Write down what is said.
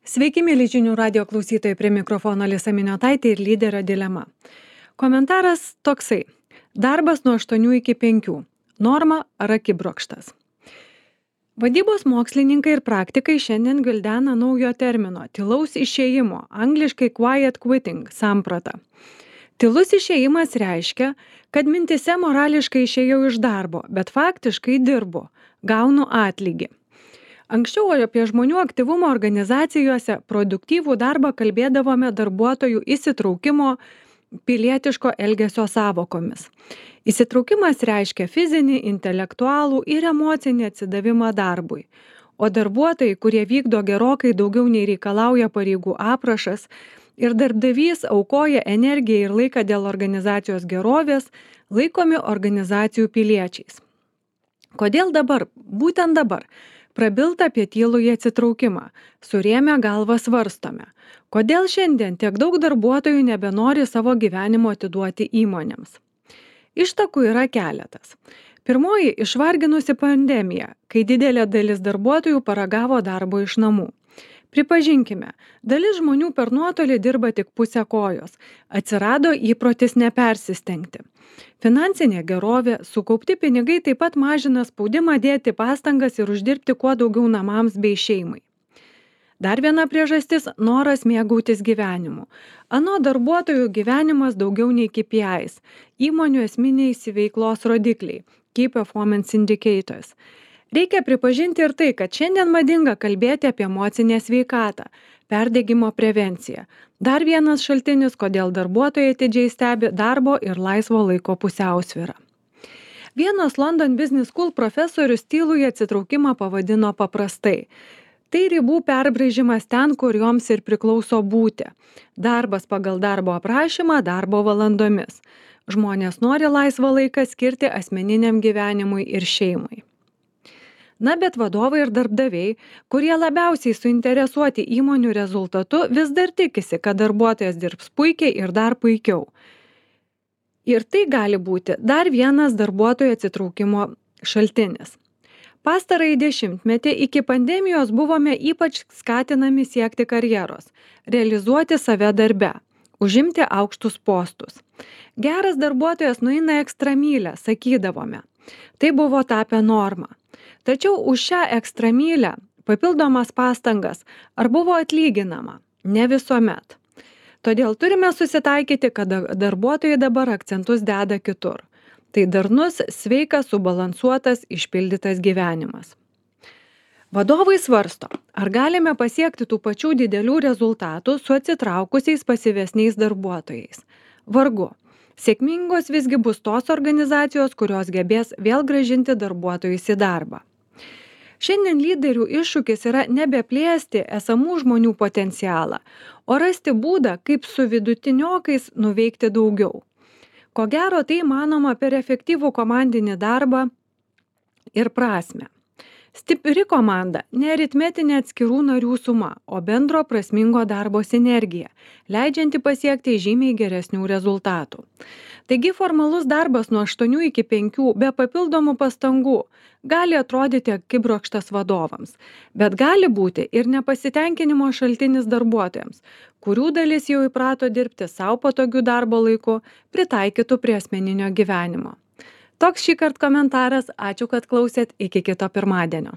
Sveiki, mėly žinių radio klausytojai, prie mikrofono Alisa Miniotaitė ir lyderio dilema. Komentaras toksai. Darbas nuo 8 iki 5. Norma ar akibrokštas. Vadybos mokslininkai ir praktikai šiandien gvildena naujo termino – tylaus išėjimo, angliškai quiet quitting sampratą. Tylus išėjimas reiškia, kad mintise morališkai išėjau iš darbo, bet faktiškai dirbu, gaunu atlygį. Anksčiau apie žmonių aktyvumą organizacijose, produktyvų darbą kalbėdavome darbuotojų įsitraukimo, pilietiško elgesio sąvokomis. Įsitraukimas reiškia fizinį, intelektualų ir emocinį atsidavimą darbui. O darbuotojai, kurie vykdo gerokai daugiau nei reikalauja pareigų aprašas ir darbdavys aukoja energiją ir laiką dėl organizacijos gerovės, laikomi organizacijų piliečiais. Kodėl dabar, būtent dabar, prabilta apie tylųjį atsitraukimą, surėmę galvą svarstome. Kodėl šiandien tiek daug darbuotojų nebenori savo gyvenimo atiduoti įmonėms? Ištakų yra keletas. Pirmoji – išvarginusi pandemija, kai didelė dalis darbuotojų paragavo darbo iš namų. Pripažinkime, dalis žmonių per nuotolį dirba tik pusę kojos. Atsirado įprotis nepersistengti. Finansinė gerovė, sukaupti pinigai taip pat mažina spaudimą dėti pastangas ir uždirbti kuo daugiau namams bei šeimai. Dar viena priežastis – noras mėgautis gyvenimu. Anot darbuotojų gyvenimas daugiau nei KPIs, įmonių esminiai veiklos rodikliai, Key Performance Indicators. Reikia pripažinti ir tai, kad šiandien madinga kalbėti apie emocinę sveikatą, perdegimo prevenciją. Dar vienas šaltinis, kodėl darbuotojai atidžiai stebi darbo ir laisvo laiko pusiausvyrą. Vienas London Business School profesorius tylųjį atsitraukimą pavadino paprastai. Tai ribų perbraižymas ten, kur joms ir priklauso būti. Darbas pagal darbo aprašymą darbo valandomis. Žmonės nori laisvą laiką skirti asmeniniam gyvenimui ir šeimai. Na, bet vadovai ir darbdaviai, kurie labiausiai suinteresuoti įmonių rezultatu, vis dar tikisi, kad darbuotojas dirbs puikiai ir dar puikiau. Ir tai gali būti dar vienas darbuotojų atsitraukimo šaltinis. Pastarąjį dešimtmetį iki pandemijos buvome ypač skatinami siekti karjeros, realizuoti save darbe, užimti aukštus postus. Geras darbuotojas nueina ekstramylę, sakydavome. Tai buvo tapę norma. Tačiau už šią ekstramylę, papildomas pastangas, ar buvo atlyginama? Ne visuomet. Todėl turime susitaikyti, kad darbuotojai dabar akcentus deda kitur. Tai darnus, sveikas, subalansuotas, išpildytas gyvenimas. Vadovai svarsto, ar galime pasiekti tų pačių didelių rezultatų su atsitraukusiais pasyvesniais darbuotojais. Vargu. Sėkmingos visgi bus tos organizacijos, kurios gebės vėl grąžinti darbuotojus į darbą. Šiandien lyderių iššūkis yra nebeplėsti esamų žmonių potencialą, o rasti būdą, kaip su vidutiniokais nuveikti daugiau. Ko gero, tai manoma per efektyvų komandinį darbą ir prasmę. Stipri komanda – ne aritmetinė atskirų narių suma, o bendro prasmingo darbo sinergija, leidžianti pasiekti žymiai geresnių rezultatų. Taigi formalus darbas nuo 8 iki 5 be papildomų pastangų gali atrodyti akibrokštas vadovams, bet gali būti ir nepasitenkinimo šaltinis darbuotojams, kurių dalis jau įprato dirbti savo patogių darbo laiku, pritaikytų prie asmeninio gyvenimo. Toks šįkart komentaras, ačiū, kad klausėt, iki kito pirmadienio.